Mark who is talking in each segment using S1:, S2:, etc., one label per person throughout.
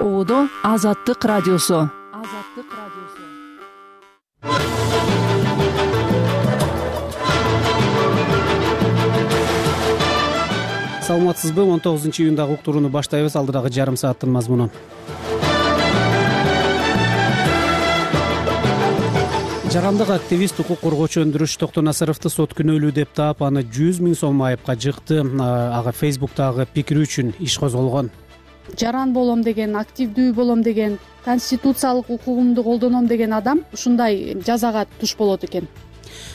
S1: Оодо Азаттык радиосу.
S2: Саламатсызбы? 19-июндагы уктурууну баштайбыз. Алдыдагы жарым сааттын мазмуну. Жарандык активист, укук коргоочу Өндүрүш Токтонасыровду сот күнөөлүү деп таап, аны 100 000 сом айыпка жыкты. Ага Facebook'тагы пикири үчүн иш козголгон.
S3: Жаран болом деген, активдүү болом деген, конституциялык укугумду колдоном деген адам ушундай жазага туш болот экен.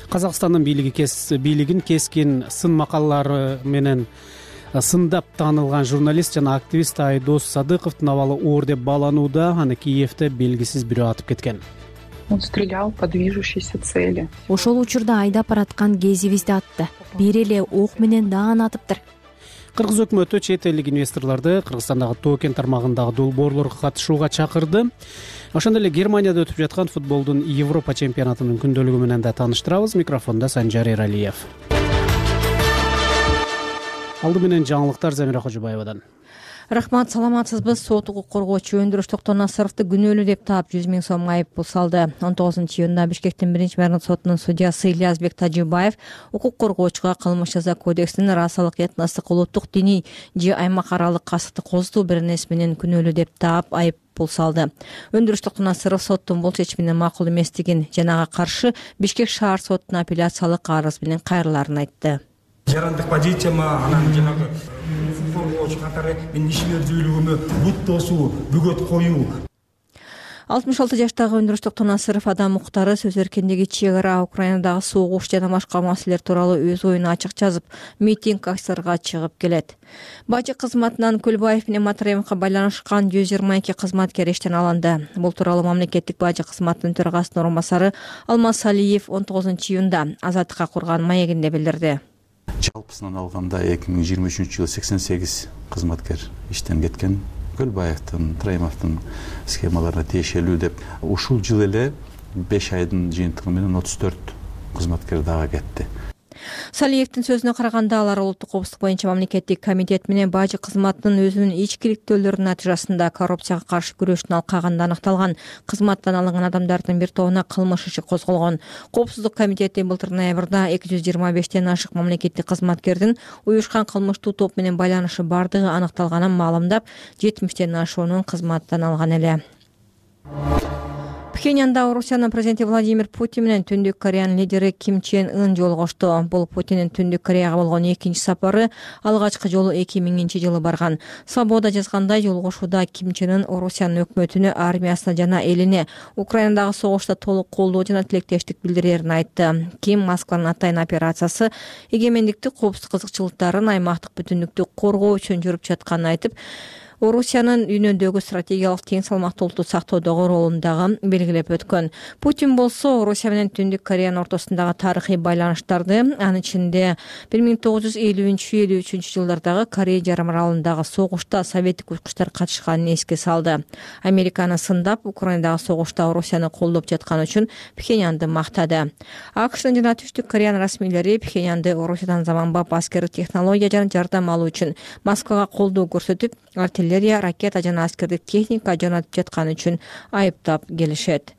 S2: Казакстандын бийлигин кескин сын макалалары менен сындап таанылган журналист жана активист Айдос Садыковдун абалы оор деп бааланууда. Аны Киевде белгисиз бирөө атып кеткен.
S4: Он стрелял по движущейся цели.
S5: Ошол учурда айдап бараткан кезибизди атты. Бир эле ок менен даан атыптыр.
S2: Кыргыз өкмөтү чет элдик инвесторлорду Кыргызстандагы Тоо-Кен тармагындагы долбоорлорго катышууга чакырды. Ошондой эле Германияда өтүп жаткан футболдун Европа чемпионатынын күндөлүгү менен да тааныштырабыз. Микрофондо Санжар Эралиев. Алды менен жаңылыктар Замира Кожобаевадан.
S6: Рахмат, саламатсызбы? Сот укук коргоочу Өндүрүш Токтонасыровду күнөөлүү деп таап 100 000 сом айып салды. 19-июнда Бишкектин 1-мэрдик сотунун судьясы Ильязбек Тажибаев укук коргоочуга кылмыш жаза кодексинин расалык, этностук, улуттук, диний же аймак аралык касыкты козутуу бир нерсе менен күнөөлүү деп таап айып салды. Өндүрүш Токтонасыров соттун бул чечимине макул эместигин жана ага каршы Бишкек шаар сотуна апелляциялык арыз менен кайрылаарын айтты.
S7: Жарандык позицияма, анан жанагы коргоочу катары менин ишмердүүлүгүмө бут тосуу, бөгөт коюу.
S6: 66 жаштагы Өндүрүш Токтонасыров адам укуктары, сөз эркиндиги, чек ара, Украинадагы согуш жана башка маселелер тууралуу өз оюн ачык жазып, митинг, акцияларга чыгып келет. Бажы кызматынан Көлбаев менен Матраимовго байланышкан 122 кызматкер иштен алынды. Бул тууралуу мамлекеттик бажы кызматынын төрагасынын орун басары Алмаз Алиев 19-июнда Азаттыкка курган маегинде билдирди.
S8: Жалпысынан алганда 2023-жылы 88 кызматкер иштен кеткен. Көлбаевдин, Траимовдун схемаларына тиешелүү деп ушул жыл эле 5 айдын жыйынтыгы менен 34 кызматкер дагы кетти.
S6: Салиевдин сөзүнө караганда, алар улуттук коопсуздук боюнча мамлекеттик комитет менен бажы кызматынын өзүнүн ичкиликтөөлөрүнүн натыйжасында коррупцияга каршы күрөштүн алкагында аныкталган. Кызматтан алынган адамдардын бир тобуна кылмыш иши козголгон. Коопсуздук комитети былтыр ноябрда 225ден ашык мамлекеттик кызматкердин уюшкан кылмыштуу топ менен байланышы бардыгы аныкталганын маалымдап, 70ден ашуунун кызматтан алган эле. Пхеньянда Орусиянын президенти Владимир Путин менен Түндүк Кореянын лидери Ким Чен Ын жолугушту. Бул Путиндин Түндүк Кореяга болгон экинчи сапары, алгачкы жолу 2000-жылы барган. Свобода жазгандай, жолугушууда Ким Чен Ын Орусиянын өкмөтүнө, армиясына жана элине Украинадагы согушта толук колдоо жана тилектештик билдирерин айтты. Ким Москванын атайын операциясы эгемендикти, коопсуздук кызыкчылыктарын, аймактык бүтүндүктү коргоо үчүн жүрүп жатканын айтып, Орусиянын дүйнөдөгү стратегиялык тең салмактуулукту сактоодогу ролун дагы белгилеп өткөн. Путин болсо Орусия менен Түндүк Кореянын ортосундагы тарыхый байланыштарды, анын ичинде 1950-53 жылдардагы Корея жарым аралындагы согушта советтик учкучтар катышканын эске салды. Американы сындап, Украинадагы согушта Орусияны колдоп жатканы үчүн Пхеньянды мактады. АКШнын жана Түштүк Кореянын расмийлери Пхеньянды Орусиядан заманбап аскердик технология жана жардам алуу үчүн Москвага колдоо көрсөтүп, артиллерия, ракета жана аскердик техника жөнөтүп жатканы үчүн айыптап келишет.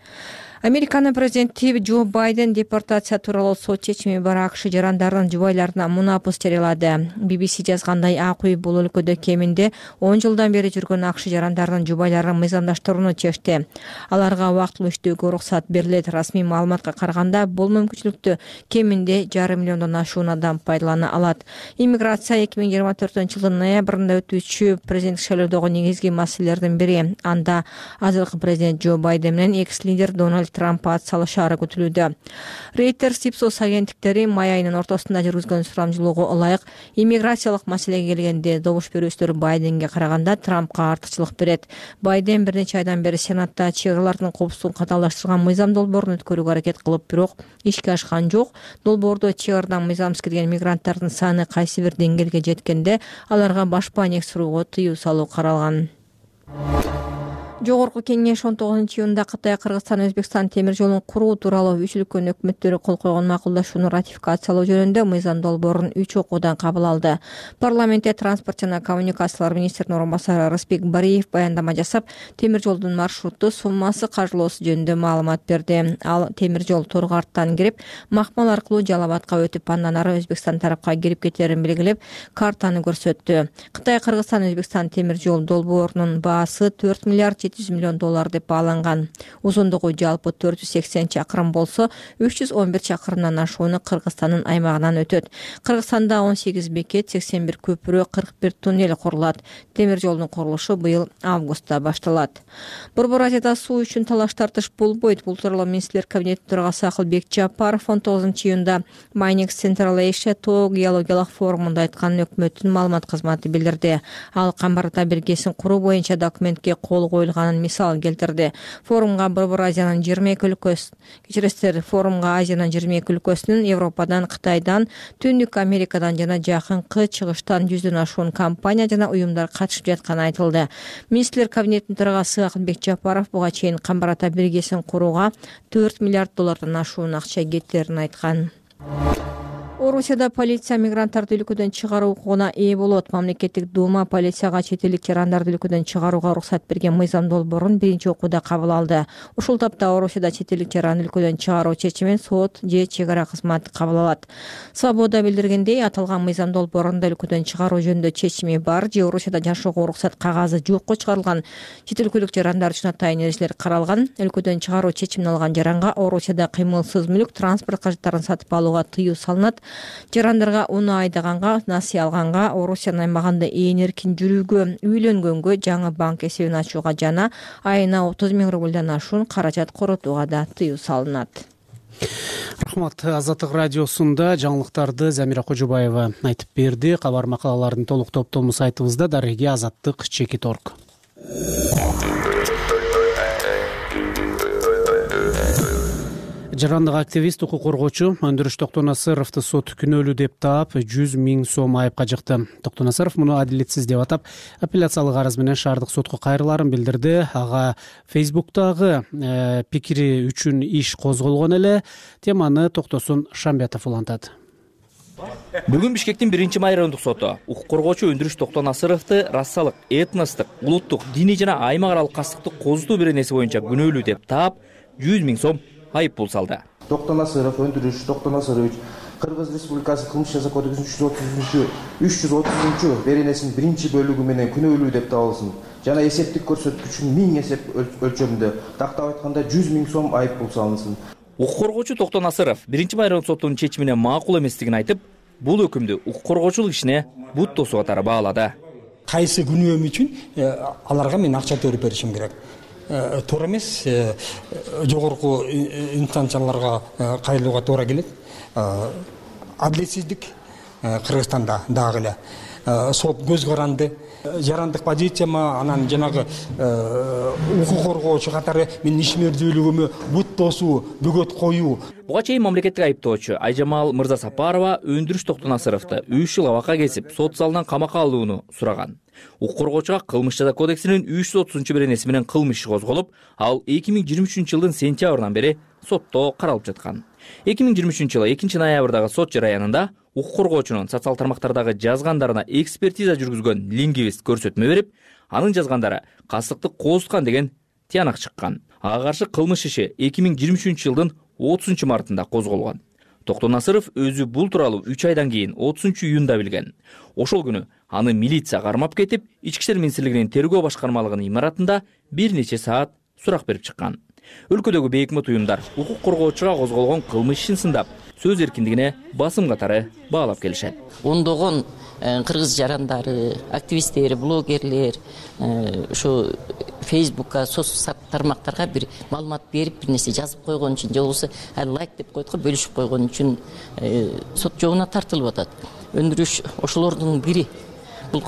S6: Американын президенти Джо Байден депортация тууралуу сот чечими бар АКШ жарандардын жубайларына мунапыс жарыялады. BBC жазгандай, ак үй бул өлкөдө кеминде 10 жылдан бери жүргөн АКШ жарандардын жубайларын мыйзамдаштырууну чечти. Аларга убактылуу иштөөгө уруксат берилет. Расмий маалыматка караганда, бул мүмкүнчүлүктү кеминде 500 миллиондон ашуун адам пайдалана алат. Иммиграция 2024-жылдын ноябрында өтүүчү президенттик шайлоодогу негизги маселелердин бири. Анда азыркы президент Джо Байден менен экс-лидер Дональд Трамп ат салышаары күтүлүүдө. Reuters, Ipsos агенттиктери май айынын ортосунда жүргүзгөн сурамжылоого ылайык иммиграциялык маселеге келгенде добуш берүүчүлөр Байденге караганда Трампка артыкчылык берет. Байден бир нече айдан бери Сенатта чек аралардын коопсуздугун катаалаштырган мыйзам долбоорун өткөрүүгө аракет кылып, бирок ишке ашкан жок. Долбоордо чек арадан мыйзамсыз кирген мигранттардын саны кайсы бир деңгээлге жеткенде аларга баш пайнек сурууга тыюу салуу каралган. Жогорку кеңеш 19-июнда Кытай, Кыргызстан, Өзбекстан темир жолун куруу тууралуу үч өлкөнүн өкмөттөрү кол койгон макулдашууну ратификациялоо жөнүндө мыйзам долбоорун 3 окуудан кабыл алды. Парламентте транспорт жана коммуникациялар министринин орун басары Рысбек Бариев баяндама жасап, темир жолдун маршруту, суммасы, каржылоосу жөнүндө маалымат берди. Ал темир жол Торгарттан кирип, Макмал аркылуу Жалал Абадка өтүп, андан ары Өзбекстан тарапка кирип кетерин белгилеп, картаны көрсөттү. Кытай, Кыргызстан, Өзбекстан темир жол долбоорунун баасы 4 миллиард 700 миллион доллар деп бааланган. Узундугу жалпы 480 чакырым болсо, 311 чакырымдан ашууну Кыргызстандын аймагынан өтөт. Кыргызстанда 18 бекет, 81 көпүрө, 41 туннель курулат. Темир жолдун курулушу быйыл августта башталат. Борбор Азияда суу үчүн талаш тартыш болбойт. Бул тууралуу министрлер кабинетинин төрагасы Акылбек Жапаров 19-июнда Майнекс Central Asia тоо геологиялык форумунда айтканын өкмөттүн маалымат кызматы билдирди. Ал Камбар ата биргесин куруу боюнча документке кол коюлганын мисал келтирди. Форумга Борбор Азиянын 22 өлкөсү, форумга Азиянын 22 өлкөсүнүн, Европадан, Кытайдан, Түндүк Америкадан жана жакынкы чыгыштан 100дөн ашуун компания жана уюмдар катышып жатканы айтылды. Министрлер кабинетинин төрагасы Акылбек Жапаров буга чейин Камбар ата биргесин курууга 4 миллиард доллардан ашуун акча кеттерин айткан. Орусияда полиция мигранттарды өлкөдөн чыгаруу укугуна ээ болот. Мамлекеттик дума полицияга чет элдик жарандарды өлкөдөн чыгарууга уруксат берген мыйзам долбоорун биринчи окууда кабыл алды. Ушул тапта Орусияда чет элдик жаранды өлкөдөн чыгаруу чечимин сот же чек ара кызматы кабыл алат. Свобода билдиргендей, аталган мыйзам долбоорунда өлкөдөн чыгаруу жөнүндө чечими бар же Орусияда жашоого уруксат кагазы жокко чыгарылган чет өлкөлүк жарандар үчүн атайын эрежелер каралган. Өлкөдөн чыгаруу чечимин алган жаранга Орусияда кыймылсыз мүлк, транспорт кажеттарын сатып алууга тыюу салынат. Жарандарга уну айдаганга, насыя алганга, Орусиянын аймагында ээн эркин жүрүүгө, үйлөнгөнгө, жаңы банк эсебин ачууга жана айына 30 000 рубльдан ашуун каражат коротууга да тыюу салынат.
S2: Рахмат. Азаттык радиосунда жаңылыктарды Замира Кожубаева айтып берди. Кабар макалалардын толук топтому сайтыбызда дареги azаттык.org. Жарандык активист, укук коргоочу Өндүрүш Токтонасыровду сот күнөөлүү деп таап 100 000 сом айыпка жыкты. Токтонасыров муну адилетсиз деп атап, апелляциялык арыз менен шаардык сотко кайрыларын билдирди. Ага Фейсбуктагы пикири үчүн иш козголгон эле. Теманы Токтосун Шамбетов улантат.
S9: Бүгүн Бишкектин 1-майрындык соту укук коргоочу Өндүрүш Токтонасыровду рассалык, этностук, улуттук, диний жана аймак аралык кастыктык козутуу беренеси боюнча күнөөлүү деп таап 100 000 сом айып пул салды.
S10: Токтонасыров Өндүрүш Токтонасырович Кыргыз Республикасы кылмыш жаза кодексинин 330 беренесинин 1-бөлүгү менен күнөөлүү деп табылсын жана эсептик көрсөткүчүн 1000 эсеп өлчөмүндө, тактап айтканда 100 000 сом айып пул салынсын.
S9: Укук коргоочу Токтонасыров 1-майрындык соттун чечимине макул эместигин айтып, бул өкүмдү укук коргоочулук ишине бут тосуу катары баалады.
S7: Кайсы күнөөм үчүн аларга мен акча төлөп беришим керек. Туура эмес, жогорку инстанцияларга кайрылууга туура келет. Адилетсиздик Кыргызстанда дагы эле. Сот көз каранды. Жарандык позицияма, анан жанагы укук коргоочу катары менин ишмердүүлүгүмө бут тосуу, бөгөт коюу.
S9: Буга чейин мамлекеттик айыптоочу Айжамал Мырзасапарова Өндүрүш Токтонасыровду 3 жыл абакка кесип, сот залынан камакка алууну сураган. Укук коргоочуга кылмыш жаза кодексинин 330 беренеси менен кылмыш иши козголуп, ал 2023 жылдын сентябрынан бери сотто каралып жаткан. 2023 жылы 2-ноябрдагы сот жараянында укук коргоочунун социал тармактардагы жазгандарына экспертиза жүргүзгөн лингвист көрсөтмө берип, анын жазгандары кастыктык козуткан деген тыянак чыккан. Ага каршы кылмыш иши 2023 жылдын 30 мартында козголгон. Токтонасыров өзү бул тууралуу 3 айдан кийин 30 июнда билген. Ошол күнү аны милиция кармап кетип, Ички иштер министрлигинин тергөө башкармалыгынын имаратында бир нече саат сурак берип чыккан. Өлкөдөгү бейөкмөт уюмдар укук коргоочуга козголгон кылмыш ишин сындап, сөз эркиндигине басым катары баалап келишет.
S11: Ондогон кыргыз жарандары, активисттер, блогерлер ушу Фейсбукка, соцсап тармактарга бир маалымат берип, бир нерсе жазып койгон үчүн, же болбосо лайк деп койдук го, бөлүшүп койгон үчүн сот жообуна тартылып атат. Өндүрүш ошолордун бири. Бул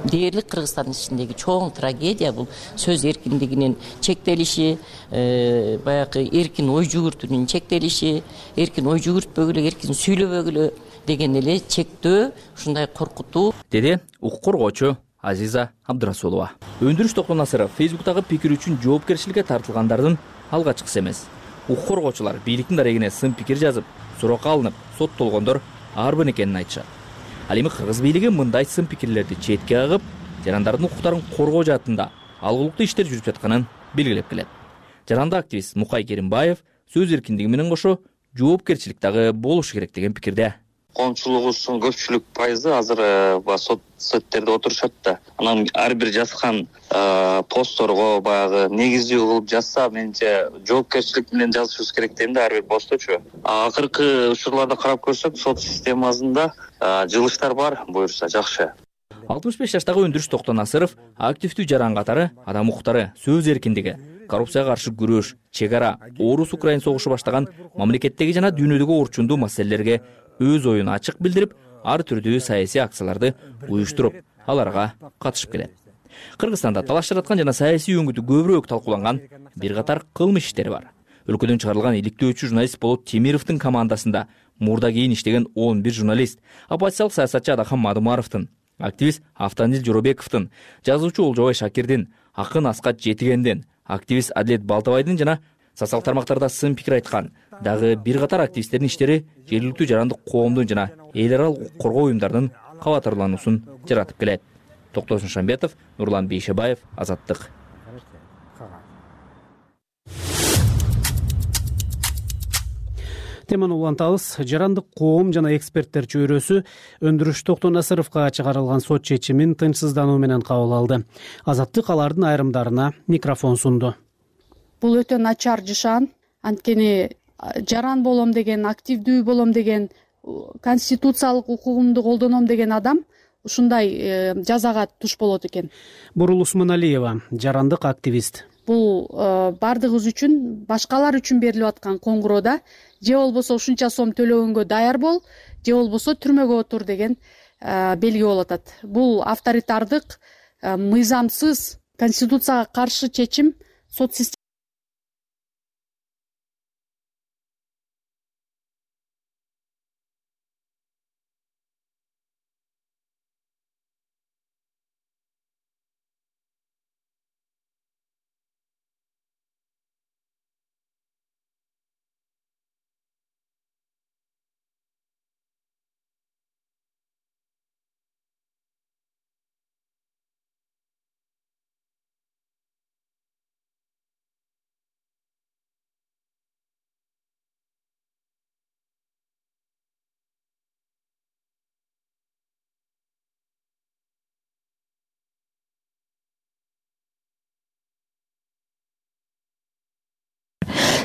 S11: дээрлик Кыргызстандын ичиндеги чоң трагедия, бул сөз эркиндигинин чектелиши, баягы эркин ой жүгүртүүнүн чектелиши, эркин ой жүгүртпөгүлө, эркин сүйлөбөгүлө деген эле чектөө, ушундай коркутуу,
S9: деди укук коргоочу Азиза Абдырасулова. Өндүрүш Токтонасыров Facebook'тагы пикир үчүн жоопкерчиликке тартылгандардын алгачкысы эмес. Укук коргоочулар бийликтин дарегине сын пикир жазып, суракка алынып, соттолгондор арбын экенин айтышат. Ал эми кыргыз бийлиги мындай сын пикирлерди четке агып, жарандардын укуктарын коргоо жаатында алгылыктуу иштер жүрүп жатканын белгилеп келет. Жарандык активист Мукай Керимбаев сөз эркиндиги менен кошо жоопкерчилик дагы болушу керек деген пикирде.
S12: Коомчулугубуздун көпчүлүк пайызы азыр соттерде отурушат да. Анан ар бир жазган постторго баягы негиздүү кылып жазса, менимче жоопкерчилик менен жазышыбыз керек дейм да, ар бир постточу. Акыркы учурларда карап көрсөк, сот системасында жылыштар бар, буюрса жакшы.
S9: 65 жаштагы Өндүрүш Токтонасыров активдүү жаран катары адам укуктары, сөз эркиндиги, коррупцияга каршы күрөш, чек ара, Орус-Украин согушу баштаган мамлекеттеги жана дүйнөдөгү орчундуу маселелерге өз оюн ачык билдирип, ар түрдүү саясий акцияларды уюштуруп, аларга катышып келет. Кыргызстанда талаш жараткан жана саясий өңүтү көбүрөөк талкууланган бир катар кылмыш иштери бар. Өлкөдөн чыгарылган иликтөөчү журналист Болот Темировдун командасында мурда кийин иштеген 11 журналист, оппозициялык саясатчы Адахан Мадумаровдун, активист Автандил Жоробековдун, жазуучу Олжобай Шакирдин, акын Аскат Жетигендин, активист Адлет Балтабайдын жана социалдык тармактарда сын пикир айткан дагы бир катар активисттердин иштери жергиликтүү жарандык коомдун жана эл аралык укук коргоо уюмдарынын кабатырлануусун жаратып келет. Токтосун Шамбетов, Нурлан Бейшебаев, Азаттык.
S2: Теманы улантабыз. Жарандык коом жана эксперттер чөйрөсү Өндүрүш Токтонасыровго чыгарылган сот чечимин тынчсыздануу менен кабыл алды. Азаттык алардын айрымдарына микрофон сунду.
S3: Бул өтө начар жышан. Анткени жаран болом деген, активдүү болом деген, конституциялык укугумду колдоном деген адам ушундай жазага туш болот экен.
S2: Бурул Усманалиева, жарандык активист.
S3: Бул бардыгыбыз үчүн, башкалар үчүн берилип аткан коңгуроо да, же болбосо ушунча сом төлөгөнгө даяр бол, же болбосо түрмөгө отур деген белги болуп атат. Бул авторитардык, мыйзамсыз, конституцияга каршы чечим сот системасы.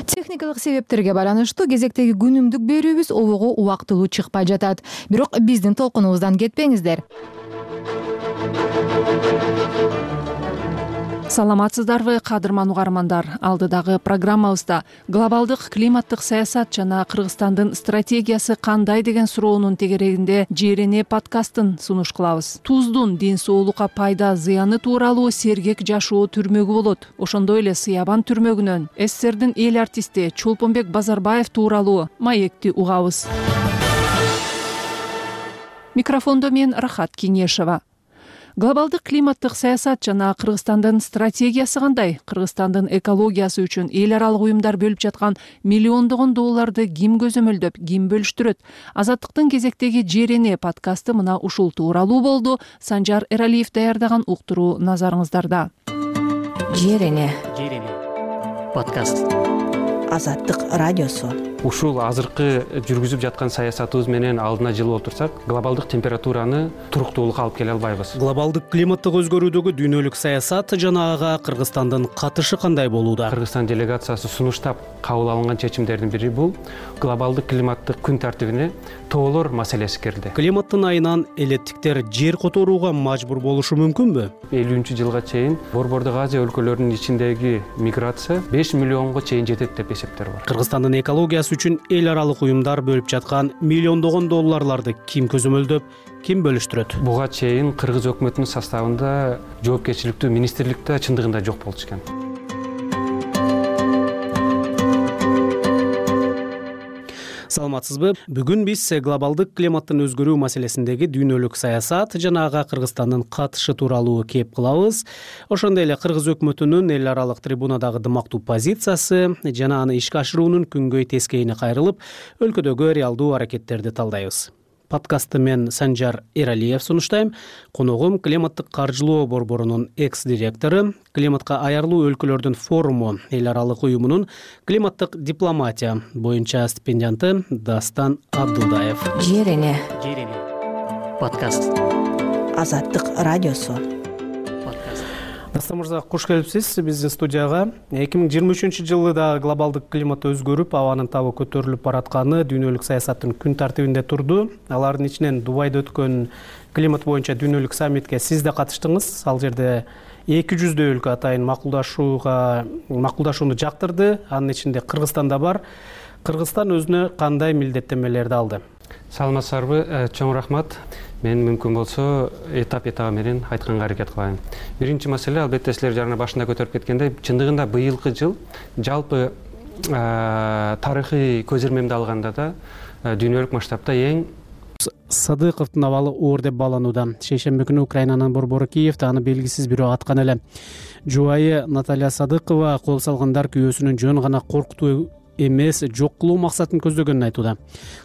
S1: Техникалык себептерге байланыштуу кезектеги күнүмдүк берүүбүз обого убактылуу чыкпай жатат. Бирок биздин толкунубуздан кетпеңиздер. Саламатсыздарбы, кадырман угармандар. Алдыдагы программабызда глобалдык климаттык саясат жана Кыргызстандын стратегиясы кандай деген суроонун тегерегинде ЖРН подкастын сунуш кылабыз. Туздун ден соолукка пайда зыяны тууралуу сергек жашоо түрмөгү болот. Ошондой эле Сыябан түрмөгүнөн СССРдин эл артисти Чолпонбек Базарбаев тууралуу маекти угабыз. Микрофондо мен Рахат Кеңешева. Глобалдык климаттык саясат жана Кыргызстандын стратегиясы кандай? Кыргызстандын экологиясы үчүн эл аралык уюмдар бөлүп жаткан миллиондогон долларды ким көзөмөлдөп, ким бөлүштүрөт? Азаттыктын кезектеги ЖРН подкасты мына ушул тууралуу болду. Санжар Эралиев даярдаган уктуруу назарыңыздарда.
S6: ЖРН
S2: подкаст.
S6: Азаттык радиосу.
S13: Ушул азыркы жүргүзүп жаткан саясатыбыз менен алдына жылып отурсак, глобалдык температураны туруктуулукка алып келе албайбыз.
S2: Глобалдык климаттык өзгөрүүдөгү дүйнөлүк саясат жана ага Кыргызстандын катышы кандай болууда?
S13: Кыргызстан делегациясы сунуштап кабыл алынган чечимдердин бири бул глобалдык климаттык күн тартибине тоолор маселеси кирди.
S2: Климаттын айынан элеттиктер жер которууга мажбур болушу мүмкүнбү?
S13: 50-жылга чейин Борбордук Азия өлкөлөрүнүн ичиндеги миграция 5 миллионго чейин жетет деп эсептер бар.
S2: Кыргызстандын экологиясы үчүн эл аралык уюмдар бөлүп жаткан миллиондогон долларларды ким көзөмөлдөп, ким бөлүштүрөт?
S13: Буга чейин Кыргыз өкмөтүнүн составында жоопкерчиликтүү министрликте чындыгында жок болчу экен.
S2: Саламатсызбы? Бүгүн биз глобалдык климаттын өзгөрүү маселесиндеги дүйнөлүк саясат жана ага Кыргызстандын катышы тууралуу кеп кылабыз. Ошондой эле Кыргыз өкмөтүнүн эл аралык трибунадагы дымактуу позициясы жана аны ишке ашыруунун күнгөй тескейине кайрылып, өлкөдөгү реалдуу аракеттерди талдайбыз. Подкастты мен Санжар Эралиев сунуштайм. Коногум климаттык каржылоо борборунун экс-директору, климатка аярлуу өлкөлөрдүн форуму эл аралык уюмунун климаттык дипломатия боюнча стипендианты Дастан Абдулдаев.
S5: Жерене
S2: Подкаст.
S5: Азаттык радиосу.
S2: Дастан мырза, куш келипсиз биздин студияга. 2023-жылы да глобалдык климат өзгөрүп, абанын табы көтөрүлүп баратканы дүйнөлүк саясаттын күн тартибинде турду. Алардын ичинен Дубайда өткөн климат боюнча дүйнөлүк саммитке сиз да катыштыңыз. Ал жерде 200 өлкө атайын макулдашууну жактырды. Анын ичинде Кыргызстан да бар. Кыргызстан өзүнө кандай милдеттенмелерди алды?
S13: Саламатсыздарбы, чоң рахмат. Мен мүмкүн болсо этап менен айтканга аракет кылайын. Биринчи маселе, албетте силер жана башында көтөрүп кеткендей, чындыгында быйылкы жыл жалпы тарыхый көзөрмөмдү алганда да дүйнөлүк масштабта эң
S2: Садыковдун абалы оор деп бааланууда. Шейшемби күнү Украинанын борбору Киевде аны белгисиз бирөө аткан эле. Жубайы Наталья Садыкова кол салгандар күйөөсүнүн жөн гана коркутуу эмес, жок кылуу максатын көздөгөнүн айтууда.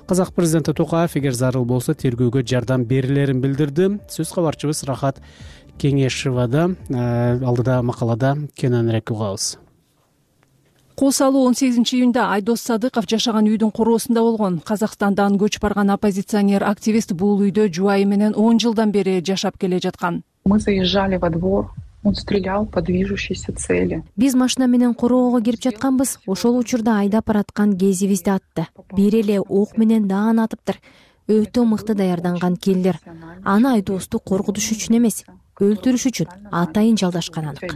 S2: Казак президенти Токаев эгер зарыл болсо тергөөгө жардам берилерин билдирди. Сөз кабарчыбыз Рахат Кеңешевада алдыда макалада кененирээк угабыз.
S1: Кол салуу 18-июнда Айдос Садыков жашаган үйдүн короосунда болгон. Казакстандан көчүп барган оппозиционер активист бул үйдө жубайы менен 10 жылдан бери жашап келе жаткан.
S4: Мы заезжали во двор. Он стрелял по движущейся цели.
S5: Биз машина менен короого кирип жатканбыз. Ошол учурда айдап бараткан кезибизди атты. Бир эле ок менен даан атыптыр. Өтө мыкты даярданган келдир. Аны Айдосту коркутуш үчүн эмес, өлтүрүш үчүн атайын жалдашкан анык.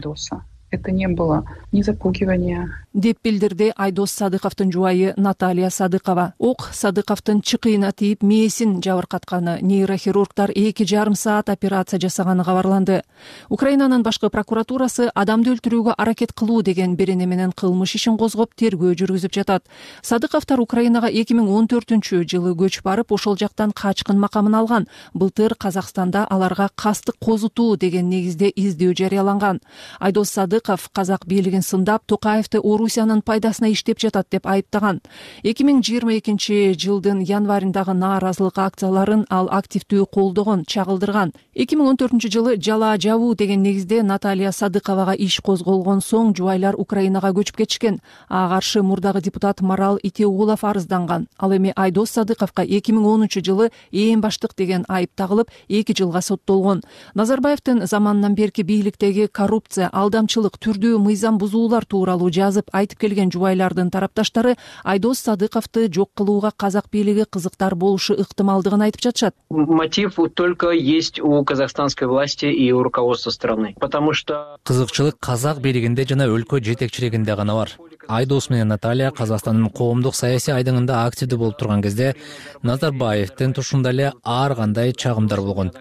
S4: Это не было ни запугивания.
S1: Деп билдирди Айдос Садыковдун жубайы Наталья Садыкова. Ок Садыковдун чыкыйына тийип мээсин жабыркатканы, нейрохирургдар 2,5 саат операция жасаганы кабарланды. Украинанын башкы прокуратурасы адамды өлтүрүүгө аракет кылуу деген берене менен кылмыш ишин козгоп тергөө жүргүзүп жатат. Садыковдор Украинага 2014-жылы көчүп барып, ошол жактан качкын макамын алган. Былтыр Казакстанда аларга кастык козутуу деген негизде издөө жарыяланган. Айдос Садыков казак бийлигин сындап, Токаевди Орусиянын пайдасына иштеп жатат деп айыптаган. 2022-жылдын январындагы нааразылык акцияларын ал активдүү колдогон, чагылдырган. 2014-жылы жала жабуу деген негизде Наталья Садыковага иш козголгон соң жубайлар Украинага көчүп кетишкен. Ага каршы мурдагы депутат Марал Итеугулов арызданган. Ал эми Айдос Садыковго 2013-жылы ээн баштык деген айып тагылып 2 жылга соттолгон. Назарбаевдин заманынан берки бийликтеги коррупция, алдамчылык, түрдүү мыйзам бузуулар тууралуу жазып айтып келген жубайлардын тарапташтары Айдос Садыковду жок кылууга казак бийлиги кызыктар болушу ыктымалдыгын айтып жатышат.
S14: Мотив только есть у казахстанской власти и у руководства страны, потому что
S9: кызыкчылык казак бийлигинде жана өлкө жетекчилигинде гана бар. Айдос менен Наталья Казакстандын коомдук саясий айдыңында активдүү болуп турган кезде Назарбаевдин тушунда эле ар кандай чагымдар болгон.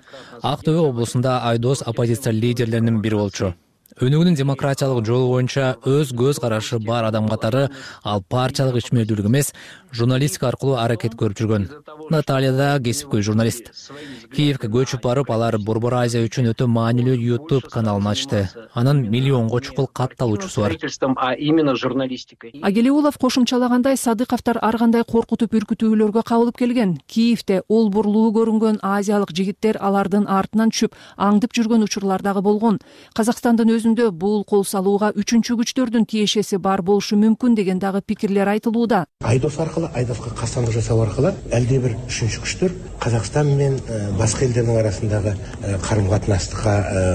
S9: Ак Төбө облусунда Айдос оппозиция лидерлеринин бири болчу. Өнүгүүнүн демократиялык жолу боюнча өз көз карашы бар адам катары ал партиялык ичмердүүлүк эмес, журналистика аркылуу аракет көрүп жүргөн. Наталья да кесипкөй журналист. Киевге көчүп барып, алар Борбор Азия үчүн өтө маанилүү YouTube каналын ачты. Анын миллионго чукул катталуучусу бар.
S14: А именно журналистикой.
S1: Агелиулов кошумчалагандай, Садыковдор ар кандай коркутуп үркүтүүлөргө кабылып келген. Киевде олбурлуу көрүнгөн азиялык жигиттер алардын артынан түшүп, аңдып жүргөн учурлар дагы болгон. Казакстандын өзүндө бул кол салууга үчүнчү күчтөрдүн тиешеси бар болушу мүмкүн деген дагы пикирлер айтылууда.
S15: Айдос аркылуу, Айдоска кастандык жасоо аркылуу элде бир үчүнчү күчтөр Казакстан менен башка элдердин арасындагы карым катнашты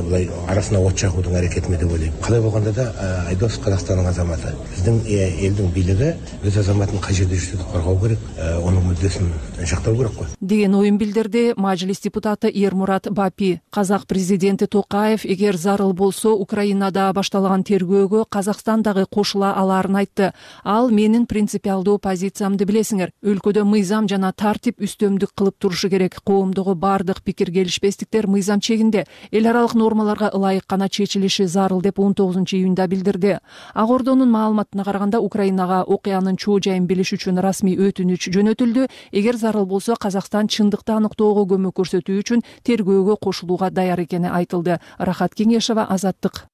S15: булай арасына от жагуудун аракетиме деп ойлойм. Кандай болгондо да Айдос Казакстандын азаматы. Биздин элдин бийлиги өз азаматын кай жерде жүрсө да коргоо керек, анын мүддөсүн жактоо керек го
S1: деген оюн билдирди мажлис депутаты Эрмурат Бапи. Казак президенти Токаев эгер зарыл болсо Украинада башталган тергөөгө Казакстан дагы кошула алаарын айтты. Ал менин принципиалдуу позициямды билесиңер. Өлкөдө мыйзам жана тартип үстөмдүк кылып турушу керек. Коомдогу бардык пикир келишпестиктер мыйзам чегинде эл аралык нормаларга ылайык гана чечилиши зарыл деп 19-июнда билдирди. Ак Ордонун маалыматына караганда Украинага окуянын чоо жайын билиш үчүн расмий өтүнүч жөнөтүлдү. Эгер зарыл болсо Казакстан чындыкты аныктоого көмөк көрсөтүү үчүн тергөөгө кошулууга даяр экени айтылды. Рахат Кеңешева, Азаттык.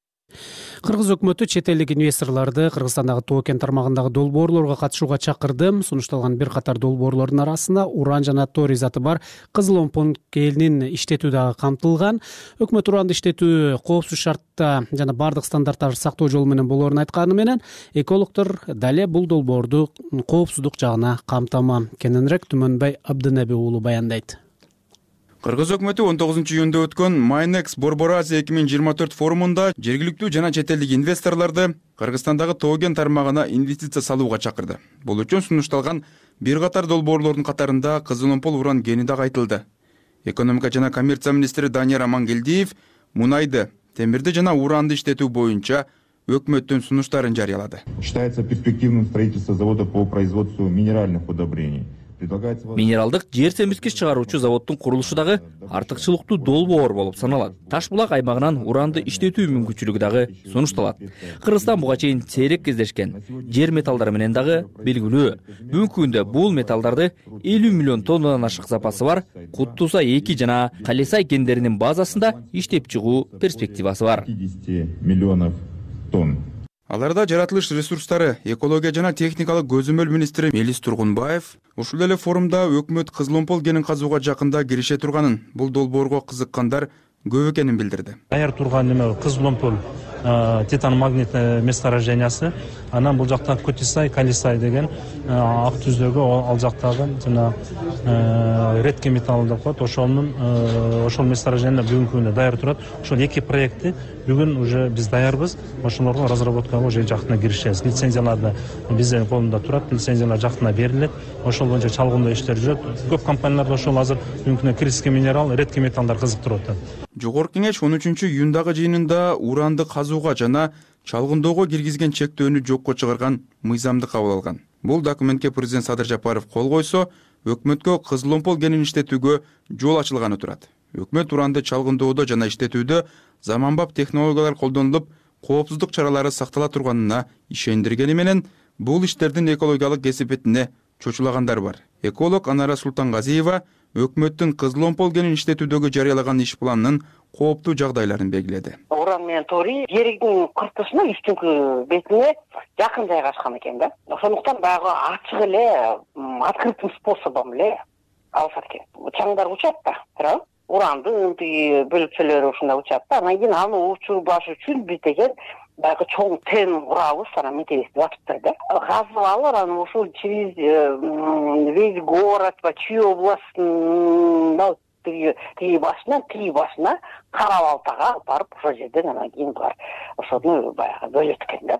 S2: Кыргыз өкмөтү чет элдик инвесторлорду Кыргызстандагы Тоо кен тармагындагы долбоорлорго катышууга чакырды. Сунушталган бир катар долбоорлордун арасында уран жана торий заты бар Кызыл-Омпон кенин иштетүү дагы камтылган. Өкмөт уранды иштетүү коопсуз шартта жана бардык стандарттарды сактоо жолу менен болоорун айтканы менен экологдор дале бул долбоорду коопсуздук жагына камтама. Кененирээк Түмөнбай Абдынеби уулу баяндайт.
S16: Кыргыз өкмөтү 19-июнда өткөн Майнекс Борбор Азия 2024 форумунда жергиликтүү жана чет элдик инвесторлорду Кыргызстандагы Тоо кен тармагына инвестиция салууга чакырды. Бул үчүн сунушталган бир катар долбоорлордун катарында Кызыл-Омпон уран кени дагы айтылды. Экономика жана коммерция министри Данияр Амангелдиев мунайды, темирди жана уранды иштетүү боюнча өкмөттүн сунуштарын жарыялады.
S17: Считается перспективным строительство завода по производству минеральных удобрений.
S9: Минералдык жер семирткич чыгаруучу заводдун курулушу дагы артыкчылыктуу долбоор болуп саналат. Таш булак аймагынан уранды иштетүү мүмкүнчүлүгү дагы сунушталат. Кыргызстан буга чейин сейрек кездешкен жер металлдары менен дагы белгилүү. Бүгүнкү күндө бул металлдарды 50 миллион тоннадан ашык запасы бар Куттусай 2 жана Калесай кендеринин базасында иштеп чыгуу перспективасы бар.
S17: 50 миллионов тонн.
S16: Аларда жаратылыш ресурстары, экология жана техникалык көзөмөл министри Мелис Тургунбаев ушул эле форумда өкмөт Кызыл-Омпон кенин казууга жакында кирише турганын, бул долбоорго кызыккандар көп экенин билдирди.
S18: Даяр турган неме Кызыл-Омпон титан магнит месторождениясы, анан бул жакта Кутисай, Калисай деген ак түздөгү ал жактагы жана редкий металл деп коет. Ошол месторождение бүгүнкү күндө даяр турат. Ошол эки проектти бүгүн уже биз даярбыз. Ошолорго разработкага уже жакында киришебиз. Лицензияларды биздин колунда турат, лицензиялар жакында берилет. Ошол боюнча чалгындоо иштер жүрөт. Көп компанияларда ошол азыр бүгүнкү күндө критический минерал, редкий металлдар кызыктырып атат.
S16: Жогорку кеңеш 13-июндагы жыйынында уранды казууга жана чалгындоого киргизген чектөөнү жокко чыгарган мыйзамды кабыл алган. Бул документке президент Садыр Жапаров кол койсо, өкмөткө Кызыл-Омпон кенин иштетүүгө жол ачылганы турат. Өкмөт уранды чалгындоодо жана иштетүүдө заманбап технологиялар колдонулуп, коопсуздук чаралары сактала турганына ишендиргени менен, бул иштердин экологиялык кесепетине чочулагандар бар. Эколог Анара Султангазиева өкмөттүн Кызыл-Омпон кенин иштетүүдөгү жарыялаган иш планынын кооптуу жагдайларын белгиледи.
S19: Уран менен торий жердин кыртышына үстүнкү бетине жакын жайгашкан экен да. Ошондуктан баягы ачык эле открытым способом эле алышат экен. Чаңдар учат да, туурабы? Урандын тиги бөлүкчөлөрү ушундай учат да. Анан кийин аны учурбаш үчүн биз деген баягы чоң тен курабыз, анан металлист атыптыр да. Казып алып, анан ушул через весь город, чүй областын тиги башына Кара-Балтага алып барып, ошол жерден анан кийин булар ошону баягы бөлөт экен да.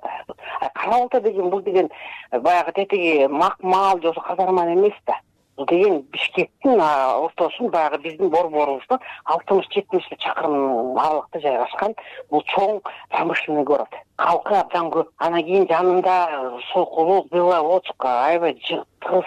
S19: Кара-Балта деген бул деген баягы тетиги макмал же казарман эмес да. Бул деген Бишкектин ортосун баягы биздин борборубуздун 60-70 чакырым аралыкта жайгашкан бул чоң промышленный город. Калкы абдан көп. Анан кийин жанында Сокулук, Беловодска, аябай тыгыз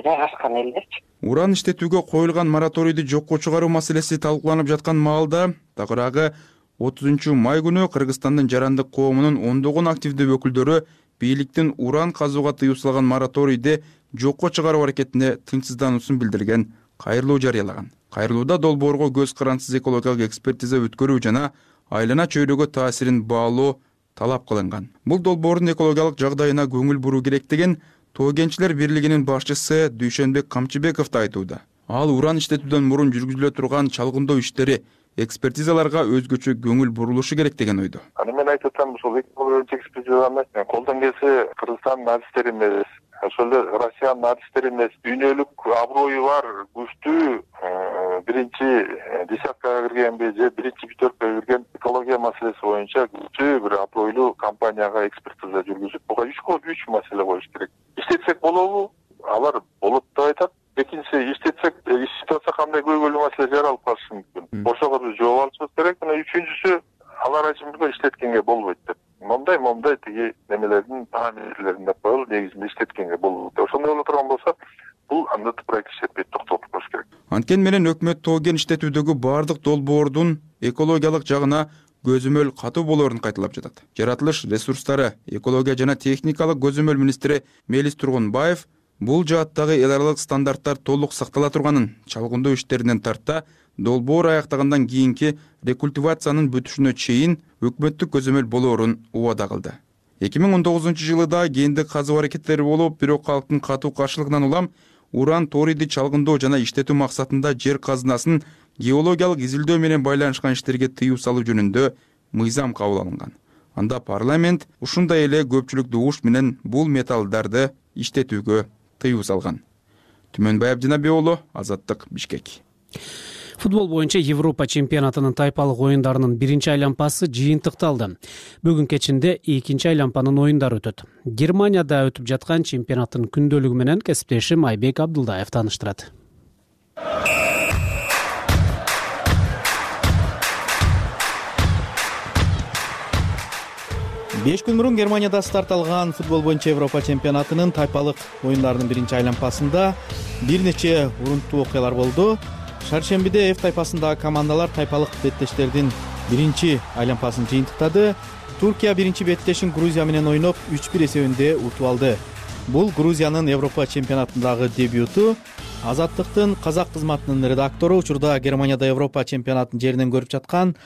S19: жайгашкан элдерчи.
S16: Уран иштетүүгө коюлган мораторийди жокко чыгаруу маселеси талкууланып жаткан маалда, тагыраагы 30-май күнү Кыргызстандын жарандык коомунун ондогон активдүү өкүлдөрү бийликтин уран казууга тыюу салган мораторийди жокко чыгаруу аракетине тынчсыздануусун билдирген кайрылуу жарыялаган. Кайрылууда долбоорго көз карансыз экологиялык экспертиза өткөрүү жана айлана чөйрөгө таасирин баалоо талап кылынган. Бул долбоордун экологиялык жагдайына көңүл буруу керек деген Тоо кенчилер бирлигинин башчысы Дүйшөнбек Камчыбеков да айтууда. Ал уран иштетүүдөн мурун жүргүзүлө турган чалгындоо иштери, экспертизаларга өзгөчө көңүл бурулушу керек деген ойдо.
S20: Мен айтып атам, ушул экспертиза эмес, колдон келсе Кыргызстандын адистери эмес, ошол эле Россиянын адистери эмес, дүйнөлүк аброю бар, күчтүү биринчи десяткага киргенби же биринчи пятеркага кирген экология маселеси боюнча күчтүү бир абройлуу компанияга экспертиза жүргүзүп, буга 3 маселе коюш керек. İşletsek болобу? Алар болот деп айтат. Экинчиси, иштетсек, иштеп атса кандай көйгөйлүү маселе жаралып калышы мүмкүн. Ошого биз жооп алышыбыз керек. Мына үчүнчүсү, алар ачымга иштеткенге болбойт деп. Момдай тиги немелердин параметрлерин деп коелу, негизинде иштеткенге болбойт. Ошондой боло турган болсо, бул анда проект иштетпейт, токтотуп коюш керек.
S16: Анткени менен өкмөт тоо кен иштетүүдөгү бардык долбоордун экологиялык жагына көзөмөл катуу болоорун кайталап жатат. Жаратылыш ресурстары, экология жана техникалык көзөмөл министри Мелис Тургунбаев бул жааттагы эл аралык стандарттар толук сактала турганын, чалгындоо иштеринен тарта долбоор аяктагандан кийинки рекультивациянын бүтүшүнө чейин өкмөттүк көзөмөл болоорун убада кылды. 2019-жылы да гендик казуу аракеттери болуп, бирок калктын катуу каршылыгынан улам уран ториди чалгындоо жана иштетүү максатында жер казынасын геологиялык изилдөө менен байланышкан иштерге тыюу салуу жөнүндө мыйзам кабыл алынган. Анда парламент ушундай эле көпчүлүк дугуш менен бул металлдарды иштетүүгө тыюу салган. Түмөнбай Абдинабек уулу, Азаттык, Бишкек.
S2: Футбол боюнча Европа чемпионатынын тайпалык оюндарынын биринчи айланпасы жыйынтыкталды. Бүгүн кечинде экинчи айланпанын оюндары өтөт. Германияда өтүп жаткан чемпионаттын күндөлүгү менен кесиптешим Айбек Абдулдаев тааныштырат.
S21: 5 күн мурун Германияда старт алган футбол боюнча Европа чемпионатынын тайпалык оюндарынын биринчи айланпасында бир нече урунттуу окуялар болду. Шаршембиде F тайпасындагы командалар тайпалык беттештердин биринчи айланпасын жыйынтыктады. Туркия биринчи беттешин Грузия менен ойноп 3-1 эсебинде утуп алды. Бул Грузиянын Европа чемпионатындагы дебюту. Азаттыктын казак кызматынын редактору, учурда Германияда Европа чемпионатын жеринен көрүп жаткан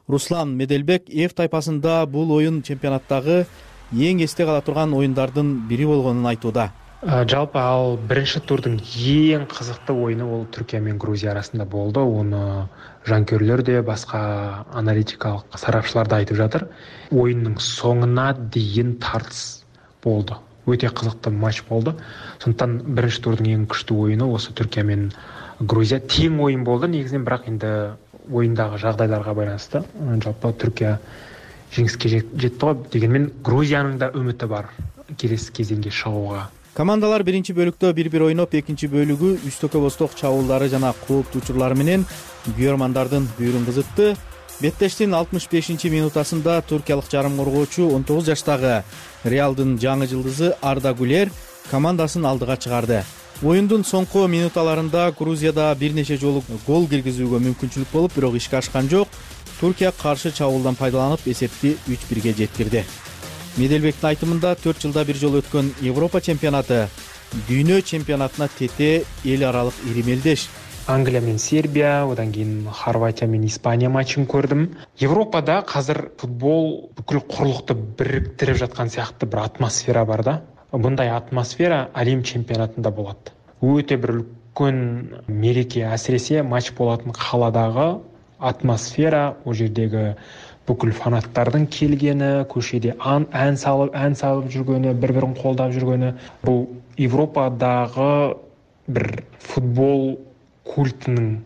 S21: Руслан Меделбек F тайпасында бул оюн чемпионаттагы эң эсте кала турган оюндардын бири болгонун айтууда.
S22: Жалпы ал биринчи турдун эң кызыктуу оюну бул Түркия менен Грузия арасында болду. Уну жанкөрлөр де, башка аналитикалык сарапчылар да айтып жатыр. Оюндун соңуна дейин тартыс болду. Өтө кызыктуу матч болду. Сондуктан биринчи турдун эң күчтүү оюну осы Түркия менен Грузия тең оюн болду. Негизинен бирок энди оюндагы жагдайларга байланыштуу. Жалпы Түркия жеңишке жетти го. Дегенмен Грузиянын да үмүтү бар келесі кезеңге чыгууга.
S21: Командалар биринчи бөлүктө 1-1 ойноп, экинчи бөлүгү үстөкө босток чабуулдары жана кооптуу учурлары менен күйөрмандардын бүйүрүн кызытты. Беттештин 65-минутасында туркиялык жарым коргоочу 19 жаштагы Реалдын жаңы жылдызы Арда Гулер командасын алдыга чыгарды. Оюндун соңку минуталарында Грузияда бир нече жолу гол киргизүүгө мүмкүнчүлүк болуп, бирок ишке ашкан жок. Туркия каршы чабуулдан пайдаланып эсепти 3-1 жеткирди. Меделбектин айтымында 4 жылда бир жолу өткөн Европа чемпионаты дүйнө чемпионатына тете эл аралык иримелдеш.
S22: Англия менен Сербия, одан кийин Хорватия менен Испания матчын көрдүм. Европада азыр футбол бүкүл курлукту бириктирип жаткан сыяктуу бир атмосфера бар да. Мындай атмосфера Рим чемпионатында болот. Өтө бир үлкөн мереке, асиресе матч болотун кааладагы атмосфера, о жердеги бүкүл фанаттардын келгени, көшеде ән салып жүргөнү, бири-бирин колдоп жүргөнү, бул Европадагы бир футбол культунун,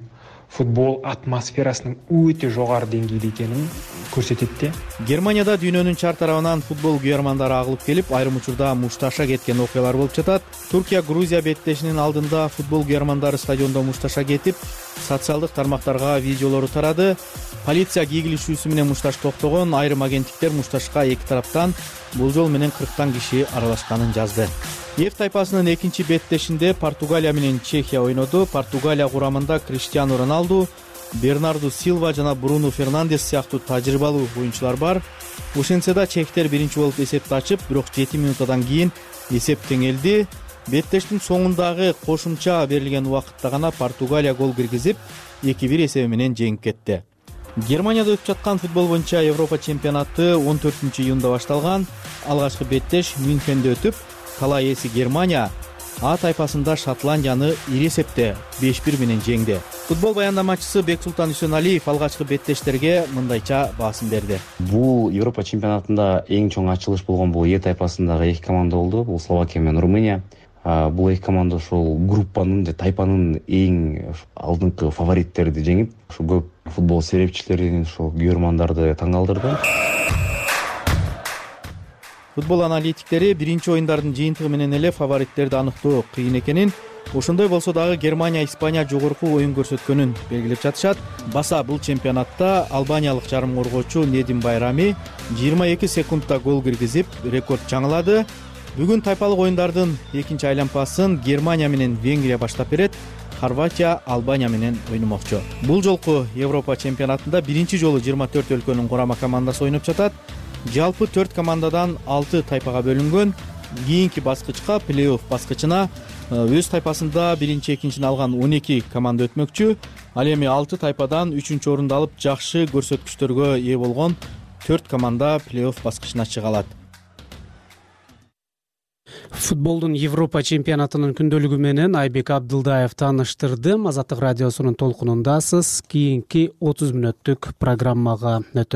S22: футбол атмосферасынын өтө жогору деңгээлде экенин көрсөтөт.
S21: Германияда дүйнөнүн чар тарабынан футбол күйөрмандары агылып келип, айрым учурда мушташа кеткен окуялар болуп жатат. Туркия Грузия беттешинин алдында футбол күйөрмандары стадиондо мушташа кетип, социалдык тармактарга видеолору тарады. Полиция кийгилишүүсү менен мушташ токтогон, айрым агенттиктер мушташка эки тараптан болжол менен 40 киши аралашканын жазды. F тайпасынын экинчи беттешинде Португалия менен Чехия ойноду. Португалия курамында Криштиану Роналду, Бернарду Силва жана Бруно Фернандес сыяктуу тажрыйбалуу оюнчулар бар. Ошентсе да чехтер биринчи болуп эсепти ачып, бирок 7 минутадан кийин эсеп теңелди. Беттештин соңундагы кошумча берилген убакытта гана Португалия гол киргизип, 2-1 эсеби менен жеңип кетти. Германияда өтүп жаткан футбол боюнча Европа чемпионаты 14-июнда башталган. Алгачкы беттеш Мюнхенде өтүп, кала ээси Германия А тайпасында Шотландияны ири эсепте 5-1 менен жеңди. Футбол баяндамачысы Бексултан Үсөналиев алгачкы беттештерге мындайча басын берди.
S23: Бул Европа чемпионатында эң чоң ачылыш болгон бул Е тайпасындагы эки команда болду. Бул Словакия менен Румыния. Бул эки команда ошол группанын, тайпанын эң алдыңкы фавориттерди жеңип, ошо көп футбол серепчилерин, ошо күйөрмандарды таң калтырды.
S21: Футбол аналитиктери биринчи оюндардын жыйынтыгы менен эле фавориттерди аныктоо кыйын экенин, ошондой болсо дагы Германия Испания жогорку оюн көрсөткөнүн белгилеп жатышат. Баса бул чемпионатта албаниялык жарым коргоочу Недим Байрами 22 секундта гол киргизип рекорд жаңылады. Бүгүн тайпалык оюндардын экинчи айланпасын Германия менен Венгрия баштап берет. Хорватия Албания менен ойномокчу. Бул жолку Европа чемпионатында биринчи жолу 24 өлкөнүн курама командасы ойноп жатат. Жалпы 4 командадан 6 тайпага бөлүнгөн. Кийинки баскычка, плей-офф баскычына өз тайпасында биринчи, экинчини алган 12 команда өтмөкчү. Ал эми 6 тайпадан 3-чү орунду алып жакшы көрсөткүчтөргө ээ болгон 4 команда плей-офф баскычына чыга алат.
S2: Футболдун Европа чемпионатынын күндөлүгү менен Айбек Абдылдаев тааныштырды. Азаттык радиосунун толкунундасыз. Кийинки 30 мүнөттүк программага өтөбүз.